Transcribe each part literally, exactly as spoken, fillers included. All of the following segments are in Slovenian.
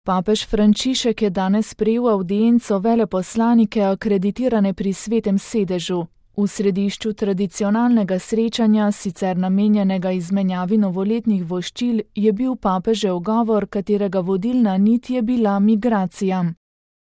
Papež Frančišek je danes sprejel avdienco veleposlanike akreditirane pri Svetem sedežu. V središču tradicionalnega srečanja, sicer namenjenega izmenjavi novoletnih voščil, je bil papežev govor, katerega vodilna nit je bila migracija.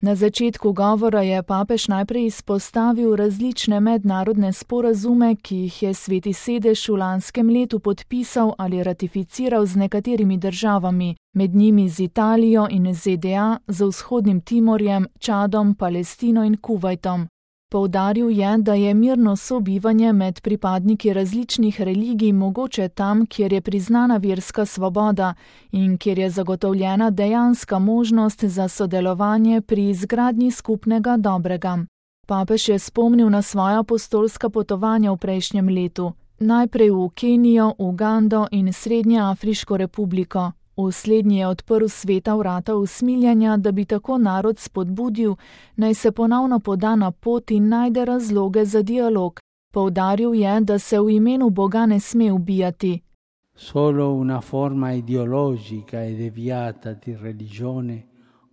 Na začetku govora je papež najprej izpostavil različne mednarodne sporazume, ki jih je Sveti sedež v lanskem letu podpisal ali ratificiral z nekaterimi državami, med njimi z Italijo in Z D A, z Vzhodnim Timorjem, Čadom, Palestino in Kuvajtom. Poudaril je, da je mirno sobivanje med pripadniki različnih religij mogoče tam, kjer je priznana verska svoboda in kjer je zagotovljena dejanska možnost za sodelovanje pri izgradnji skupnega dobrega. Papež je spomnil na svoja apostolska potovanja v prejšnjem letu, najprej v Kenijo, Ugando in Srednjeafriško republiko. V slednji je odprl sveta vrata usmiljenja, da bi tako narod spodbudil, naj se ponovno poda na pot in najde razloge za dialog. Poudaril je, da se v imenu Boga ne sme ubijati. Solo una forma ideologica e deviata di religione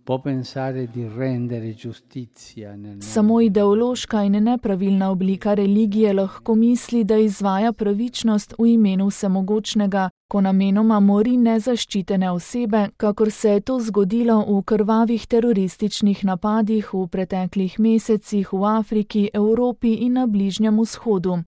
può pensare di rendere giustizia nel mondo. Samo ideološka in nepravilna oblika religije lahko misli, da izvaja pravičnost v imenu vsemogočnega, ko namenoma mori nezaščitene osebe, kakor se je to zgodilo v krvavih terorističnih napadih v preteklih mesecih v Afriki, Evropi in na Bližnjem vzhodu.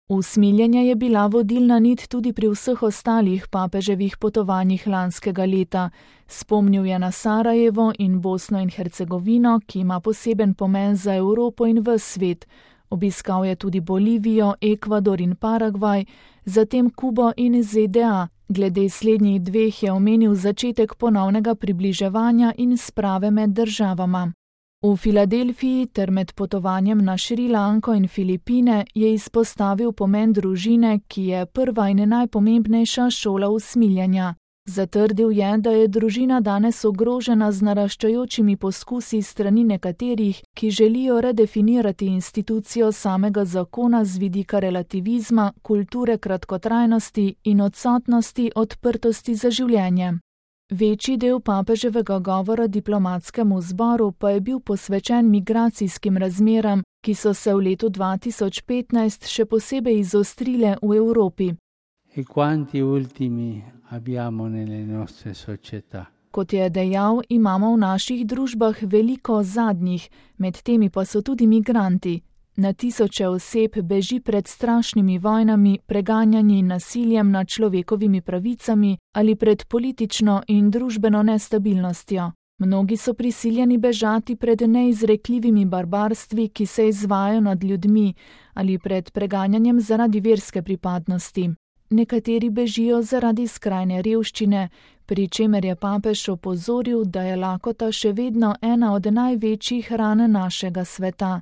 Usmiljenje je bila vodilna nit tudi pri vseh ostalih papeževih potovanjih lanskega leta. Spomnil je na Sarajevo in Bosno in Hercegovino, ki ima poseben pomen za Evropo in ves svet. Obiskal je tudi Bolivijo, Ekvador in Paragvaj, zatem Kubo in Z D A. Glede slednjih dveh je omenil začetek ponovnega približevanja in sprave med državama. V Filadelfiji ter med potovanjem na Šrilanko in Filipine je izpostavil pomen družine, ki je prva in najpomembnejša šola usmiljenja. Zatrdil je, da je družina danes ogrožena z naraščajočimi poskusi strani nekaterih, ki želijo redefinirati institucijo samega zakona z vidika relativizma, kulture kratkotrajnosti in odsotnosti odprtosti za življenje. Večji del papeževega govora diplomatskemu zboru pa je bil posvečen migracijskim razmeram, ki so se v letu dva tisoč petnajst še posebej izostrile v Evropi. E quanti ultimi abbiamo nelle nostre società. Kot je dejal, imamo v naših družbah veliko zadnjih, med temi pa so tudi migranti. Na tisoče oseb beži pred strašnimi vojnami, preganjanji in nasiljem nad človekovimi pravicami ali pred politično in družbeno nestabilnostjo. Mnogi so prisiljeni bežati pred neizrekljivimi barbarstvi, ki se izvajajo nad ljudmi, ali pred preganjanjem zaradi verske pripadnosti. Nekateri bežijo zaradi skrajne revščine, pri čemer je papež opozoril, da je lakota še vedno ena od največjih ran našega sveta.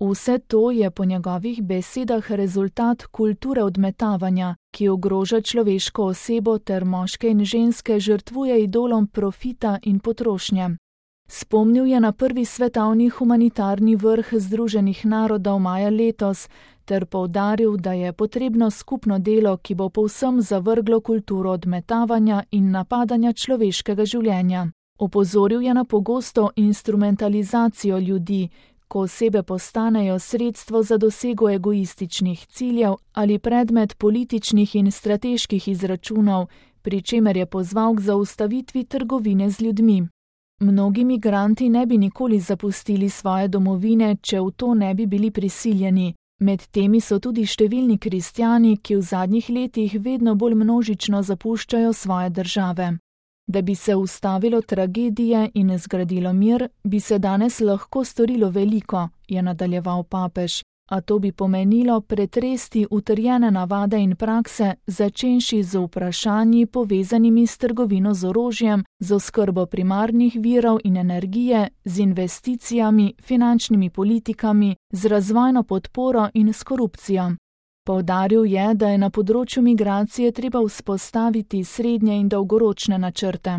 Vse to je po njegovih besedah rezultat kulture odmetavanja, ki ogroža človeško osebo ter moške in ženske žrtvuje idolom profita in potrošnje. Spomnil je na prvi svetovni humanitarni vrh Združenih narodov maja letos ter poudaril, da je potrebno skupno delo, ki bo povsem zavrglo kulturo odmetavanja in napadanja človeškega življenja. Opozoril je na pogosto instrumentalizacijo ljudi, ko osebe postanejo sredstvo za dosego egoističnih ciljev ali predmet političnih in strateških izračunov, pri čemer je pozval k zaustavitvi trgovine z ljudmi. Mnogi migranti ne bi nikoli zapustili svoje domovine, če v to ne bi bili prisiljeni. Med temi so tudi številni kristjani, ki v zadnjih letih vedno bolj množično zapuščajo svoje države. Da bi se ustavilo tragedije in zgradilo mir, bi se danes lahko storilo veliko, je nadaljeval papež, a to bi pomenilo pretresti utrjene navade in prakse, začenši z vprašanji povezanimi s trgovino z orožjem, z oskrbo primarnih virov in energije, z investicijami, finančnimi politikami, z razvojno podporo in s korupcijo. Poudaril je, da je na področju migracije treba vzpostaviti srednje in dolgoročne načrte.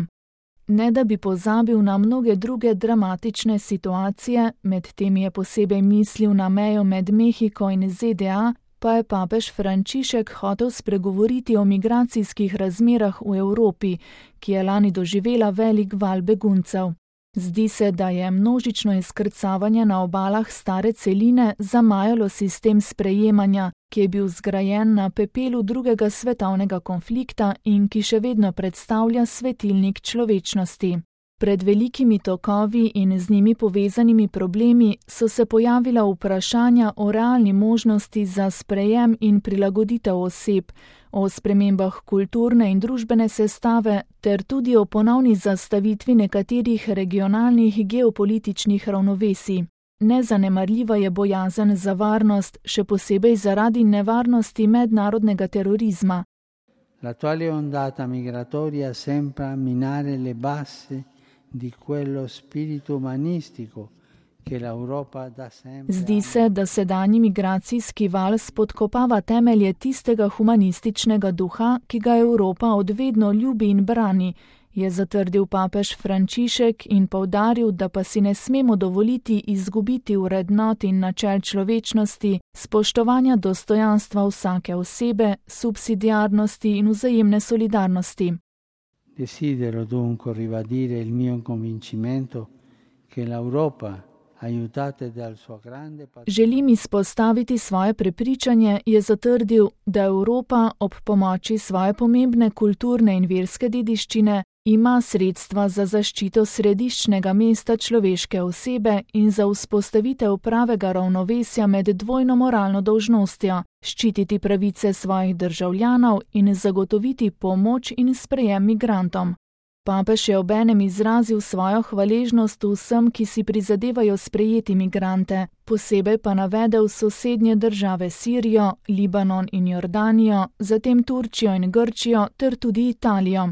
Ne da bi pozabil na mnoge druge dramatične situacije, med temi je posebej mislil na mejo med Mehiko in Z D A, pa je papež Frančišek hotel spregovoriti o migracijskih razmerah v Evropi, ki je lani doživela velik val beguncev. Zdi se, da je množično izkrcavanje na obalah stare celine zamajalo sistem sprejemanja, ki je bil zgrajen na pepelu drugega svetovnega konflikta in ki še vedno predstavlja svetilnik človečnosti. Pred velikimi tokovi in z njimi povezanimi problemi so se pojavila vprašanja o realni možnosti za sprejem in prilagoditev oseb, o spremembah kulturne in družbene sestave ter tudi o ponovni zastavitvi nekaterih regionalnih geopolitičnih ravnovesij. Nezanemarljiva je bojazen za varnost, še posebej zaradi nevarnosti mednarodnega terorizma. L'attuale ondata migratoria sembra minare le basi di quello spirito umanistico che l'Europa da sempre. Zdi se, da sedanji migracijski val spodkopava temelje tistega humanističnega duha, ki ga Evropa od vedno ljubi in brani, je zatrdil papež Frančišek in poudaril, da pa si ne smemo dovoliti izgubiti vrednot in načel človečnosti, spoštovanja dostojanstva vsake osebe, subsidiarnosti in vzajemne solidarnosti. Desidero dunque ribadire il mio convincimento che l'Europa, aiutata dal suo grande patrimonio. Želim izpostaviti svoje prepričanje, je zatrdil, da Evropa ob pomoči svoje pomembne kulturne in verske dediščine ima sredstva za zaščito središčnega mesta človeške osebe in za vzpostavitev pravega ravnovesja med dvojno moralno dolžnostjo, ščititi pravice svojih državljanov in zagotoviti pomoč in sprejem migrantom. Papež je obenem izrazil svojo hvaležnost vsem, ki si prizadevajo sprejeti migrante, posebej pa navedel sosednje države Sirijo, Libanon in Jordanijo, zatem Turčijo in Grčijo ter tudi Italijo.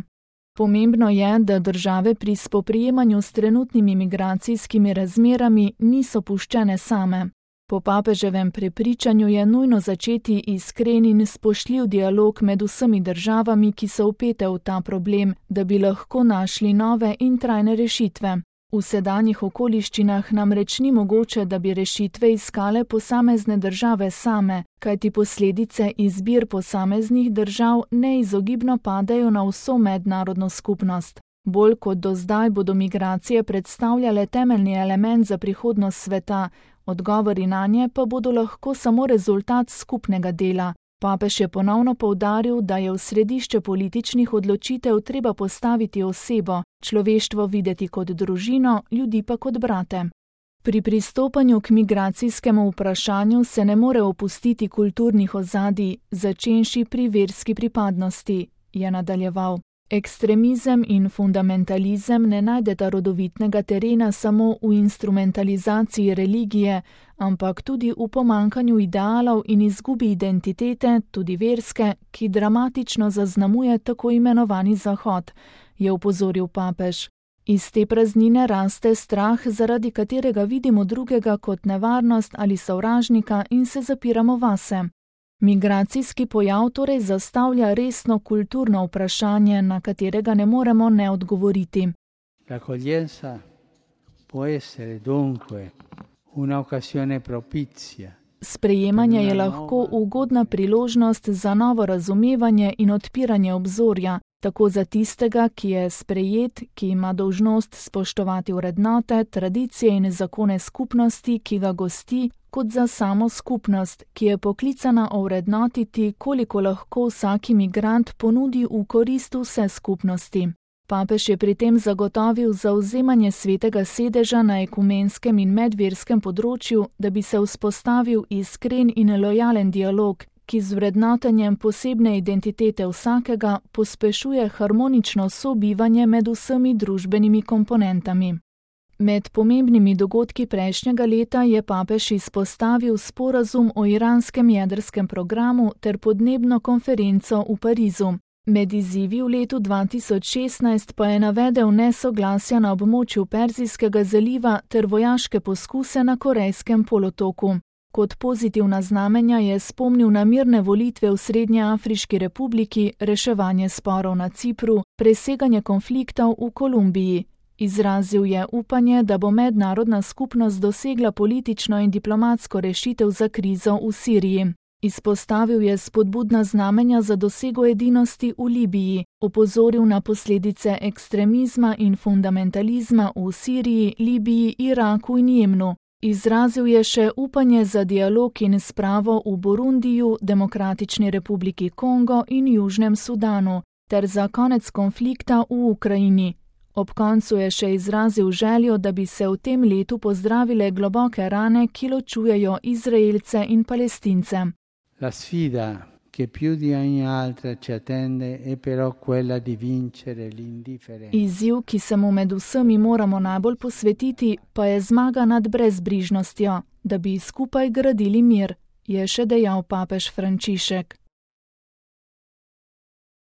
Pomembno je, da države pri spoprijemanju s trenutnimi migracijskimi razmerami niso puščene same. Po papeževem prepričanju je nujno začeti iskren in spoštljiv dialog med vsemi državami, ki so vpete v ta problem, da bi lahko našli nove in trajne rešitve. V sedanjih okoliščinah namreč ni mogoče, da bi rešitve iskale posamezne države same, kajti posledice izbir posameznih držav neizogibno padajo na vso mednarodno skupnost. Bolj kot do zdaj bodo migracije predstavljale temeljni element za prihodnost sveta, odgovori nanje pa bodo lahko samo rezultat skupnega dela. Papež je ponovno poudaril, da je v središče političnih odločitev treba postaviti osebo, človeštvo videti kot družino, ljudi pa kot brate. Pri pristopanju k migracijskemu vprašanju se ne more opustiti kulturnih ozadij, začenši pri verski pripadnosti, je nadaljeval. Ekstremizem in fundamentalizem ne najdeta rodovitnega terena samo v instrumentalizaciji religije, ampak tudi v pomankanju idealov in izgubi identitete, tudi verske, ki dramatično zaznamuje tako imenovani Zahod, je opozoril papež. Iz te praznine raste strah, zaradi katerega vidimo drugega kot nevarnost ali sovražnika in se zapiramo vase. Migracijski pojav torej zastavlja resno kulturno vprašanje, na katerega ne moremo ne odgovoriti. L'accoglienza può essere dunque una occasione propizia. Sprejemanje je lahko ugodna priložnost za novo razumevanje in odpiranje obzorja, tako za tistega, ki je sprejet, ki ima dolžnost spoštovati vrednote, tradicije in zakone skupnosti, ki ga gosti, kot za samo skupnost, ki je poklicana ovrednotiti, koliko lahko vsaki migrant ponudi v korist vse skupnosti. Papež je pri tem zagotovil zavzemanje svetega sedeža na ekumenskem in medverskem področju, da bi se vzpostavil iskren in lojalen dialog, ki z vrednotenjem posebne identitete vsakega pospešuje harmonično sobivanje med vsemi družbenimi komponentami. Med pomembnimi dogodki prejšnjega leta je papež izpostavil sporazum o iranskem jedrskem programu ter podnebno konferenco v Parizu. Med izzivi v letu dva tisoč šestnajst pa je navedel nesoglasja na območju Perzijskega zaliva ter vojaške poskuse na Korejskem polotoku. Kot pozitivna znamenja je spomnil na mirne volitve v Srednjeafriški republiki, reševanje sporov na Cipru, preseganje konfliktov v Kolumbiji. Izrazil je upanje, da bo mednarodna skupnost dosegla politično in diplomatsko rešitev za krizo v Siriji. Izpostavil je spodbudna znamenja za dosego edinosti v Libiji, opozoril na posledice ekstremizma in fundamentalizma v Siriji, Libiji, Iraku in Jemnu. Izrazil je še upanje za dialog in spravo v Burundiju, Demokratični republiki Kongo in Južnem Sudanu, ter za konec konflikta v Ukrajini. Ob koncu je še izrazil željo, da bi se v tem letu pozdravile globoke rane, ki ločujejo Izraelce in Palestince. La sfida che più di ogni altra ci attende è però quella di vincere l'indifferenza. Izziv, ki se mu med vsemi moramo najbolj posvetiti, pa je zmaga nad brezbrižnostjo, da bi skupaj gradili mir, je še dejal papež Frančišek.